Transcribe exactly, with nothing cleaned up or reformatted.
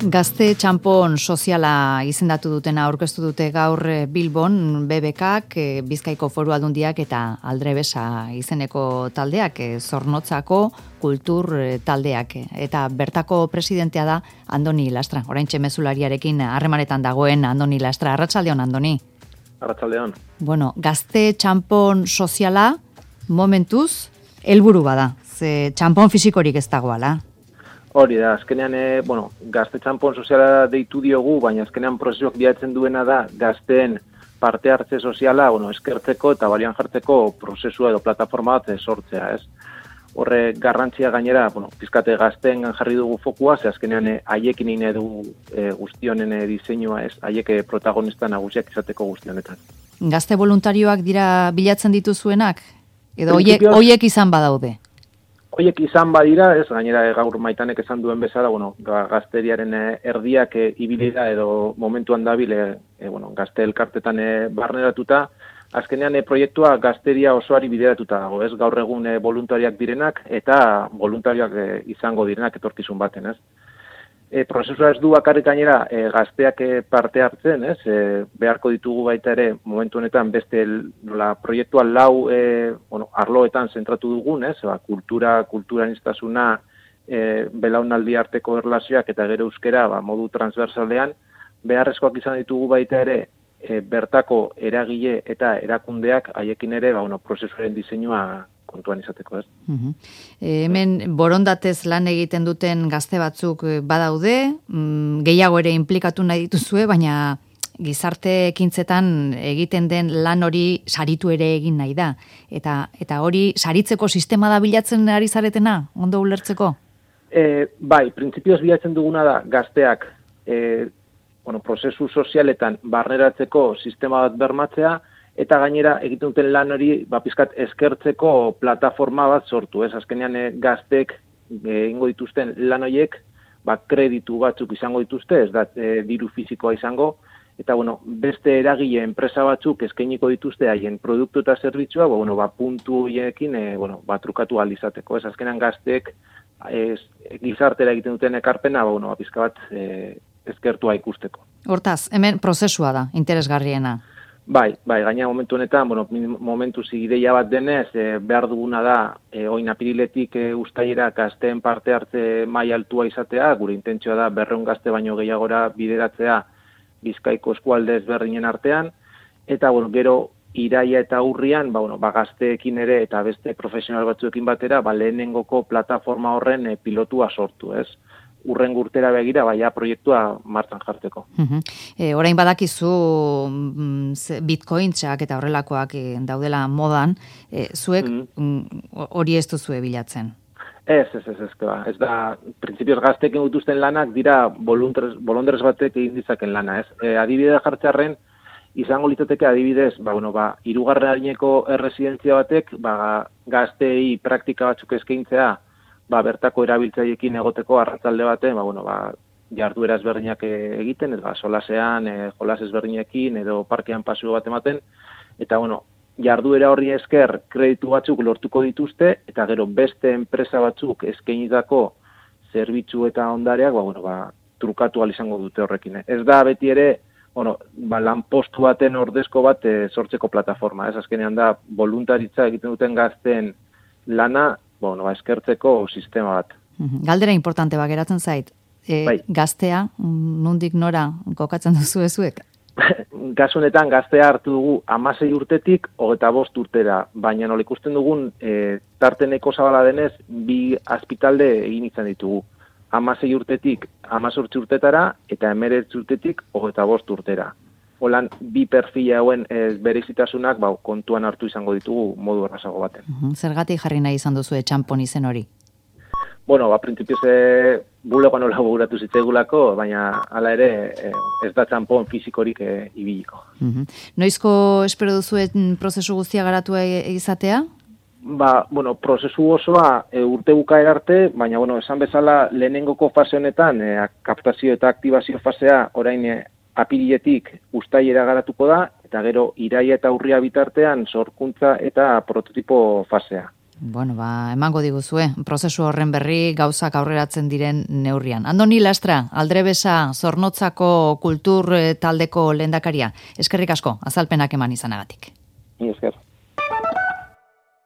Gazte txanpon soziala izendatu dutena aurkeztu dute gaur Bilbon B B Kak, Bizkaiko Foru Aldundiak eta Aldrebesa izeneko taldeak, Zornotzako kultur taldeak. Eta bertako presidentea da Andoni Lastra. Oraintxe mezulariarekin harremanetan dagoen Andoni Lastra. Arratsaldeon, Andoni. Arratsaldeon. Bueno, gazte txanpon soziala momentuz helburu bada. Ze txanpon fisikorik ez dagoala. Hori da, azkenean, e, bueno, gazte txanpon soziala deitu diogu, baina azkenean prozesuak bilatzen duena da gazteen parte hartze soziala, bueno, eskertzeko eta balian jartzeko prozesua edo plataforma bat sortzea, ez? Horre garrantzia gainera, bueno, pizkate gazteen jarri dugu fokua, ze azkenean haiekin ine dugu e, guztionen e, diseinua, ez? Haiek protagonista nagusiak izateko guztionetan. Gazte voluntarioak dira bilatzen dituzuenak? Edo hoiek hoiek izan badaude? Hoiek izan badira, ez, gainera gaur Maitanek esan duen bezala, bueno, gazteriaren erdiak e, ibilida edo momentuan dabil, e, e, bueno, gazte elkartetan e, barneratuta, azkenean e, proiektua gazteria osoari bideratuta dago, ez, gaur egun e, voluntariak direnak eta voluntariak e, izango direnak etorkizun baten, ez. E, prozesua ez du bakarrik gainera e, gazteak e, parte hartzen, ez, e, beharko ditugu baita ere momentu honetan beste nola proiektua lau e, bueno, arloetan zentratu dugun, ez, ba, kultura, kulturaniztasuna, e, belaunaldi arteko erlazioak eta gero euskera ba, modu transversalean, beharrezkoak izan ditugu baita ere e, bertako eragile eta erakundeak haiekin ere ba, bueno, prozesuaren diseinua kontuan izateko, ez. Uh-huh. E, hemen borondatez lan egiten duten gazte batzuk badaude, mm, gehiago ere inplikatu nahi dituzue, baina gizarte ekintzetan egiten den lan hori saritu ere egin nahi da. Eta, eta hori saritzeko sistema da bilatzen ari zaretena, ondo ulertzeko? E, bai, printzipioz bilatzen duguna da gazteak e, bueno, prozesu sozialetan barneratzeko sistema bat bermatzea, eta gainera egiten duten lan hori ba, pizkat eskertzeko plataforma bat sortu, ez? Azkenean e, gaztek egingo dituzten lan horiek ba, kreditu batzuk izango dituzte, ez da e, diru fizikoa izango, eta bueno, beste eragile enpresa batzuk eskainiko dituzte haien produktu eta zerbitzua, ba, bueno, ba, puntu horiekin e, bueno, ba, trukatu ahal izateko, ez? Azkenean gaztek ez, gizartera egiten duten ekarpena, ba, bueno, ba, pizka bat e, eskertua ikusteko. Hortaz, hemen prozesua da, interesgarriena. Bai, bai, gaina momentu honetan, bueno, momentu zigideia bat denez, e, behar duguna da, e, oin apiriletik e, ustailera gazteen parte hartze maila altua izatea, gure intentzioa da berrehun gazte baino gehiagora bideratzea Bizkaiko eskualde ezberdinen artean, eta bueno, gero iraia eta urrian, ba, bueno, ba, gazteekin ere eta beste profesional batzuekin batera, ba, lehenengoko plataforma horren e, pilotua sortu, ez? Urren urtera begira, baina proiektua martxan jartzeko. Uh-huh. E, orain badakizu mm, bitcointxak eta horrelakoak e, daudela modan, e, zuek uh-huh. hori ez duzue bilatzen? Ez, ez, ez, ez, ba. Ez da, printzipioz gaztekin dituzten lanak dira bolondrez batek egin ditzaken lana, ez? E, adibidea jartzearren, izango litzateke adibidez, ba, bueno, ba, hirugarren adineko erresidentzia batek, ba, gazteei praktika batzuk eskaintzea, ba, bertako erabiltzaileekin egoteko arratsalde baten, ba, bueno, ba, jarduera ezberdinak egiten, ez, ba, solasean, e, jolas ezberdinekin, edo parkean paseo bat ematen, eta, bueno, jarduera horri esker kreditu batzuk lortuko dituzte, eta gero beste enpresa batzuk eskainitako zerbitzu eta ondareak, ba, bueno, ba, trukatu ahal izango dute horrekin. Ez da beti ere, bueno, ba, lanpostu baten ordezko bat e, sortzeko plataforma, ez, azkenean da, voluntaritza egiten duten gazten lana, bueno, ba, eskertzeko sistema bat. Galdera importante ba, geratzen zait. E, bai. Gaztea, nondik nora kokatzen duzu ezuek? Gasunetan gaztea hartu dugu hamasei urtetik hogeita bost urtera, baina nola ikusten dugun e, tarteneko zabala denez bi azpitalde egin izan ditugu. hamasei urtetik hemezortzi urtetara eta hemeretzi urtetik hogeita bost urtera. Holan, bi perfila hauen e, berezitasunak ba, kontuan hartu izango ditugu modu errazago baten. Uh-huh. Zergatik jarri nahi izan duzu txanpon izen hori? Bueno, ba, printzipioz e, bulegoan nola buratu zitzaigulako, baina hala ere e, ez da txanpon fizikorik e, ibiliko. Uh-huh. Noizko espero duzuen prozesu guztia garatu e, izatea? Ba, bueno, prozesu osoa e, urte bukaera arte, baina, bueno, esan bezala lehenengoko fase honetan, e, kaptazio eta aktibazio fasea orain e, apiriletik uztailera garatuko da, eta gero iraia eta urria bitartean sorkuntza eta prototipo fasea. Bueno, ba, emango diguzue, prozesu horren berri gauzak aurreratzen diren neurrian. Andoni Lastra, Aldrebesa Zornotzako kultur taldeko lehendakaria, eskerrik asko, azalpenak eman izanagatik. Ni esker.